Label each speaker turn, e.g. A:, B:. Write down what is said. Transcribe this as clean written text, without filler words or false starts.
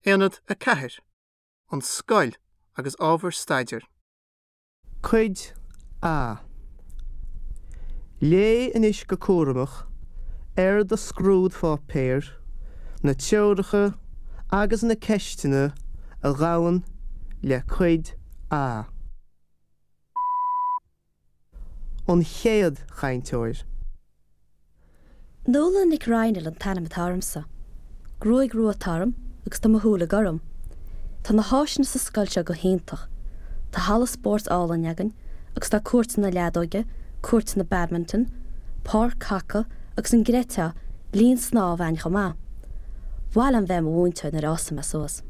A: Aonad 4, An Scoil agus Ábhair Staidéir. Cuid A. Léigh anois go cúramach ar do scrúdpháipéar na treoracha agus na ceisteanna a ghabhann le Cuid A. An chéad chainteoir.
B: Nuala Nic Raghnaill an t-ainm atá ormsa. Gruaig rua atá orm agus tá mo shúile gorm. Tá na háiseanna sa scoil seo go hiontach. Tá halla spóirt álainn againn agus tá cúirteanna leadóige, cúirteanna badminton, páirc haca agus an gcreidfeá, linn snámha againn chomh maith. Ba mhaith liom bheith i mo mhúinteoir nuair a fhásfaidh mé suas.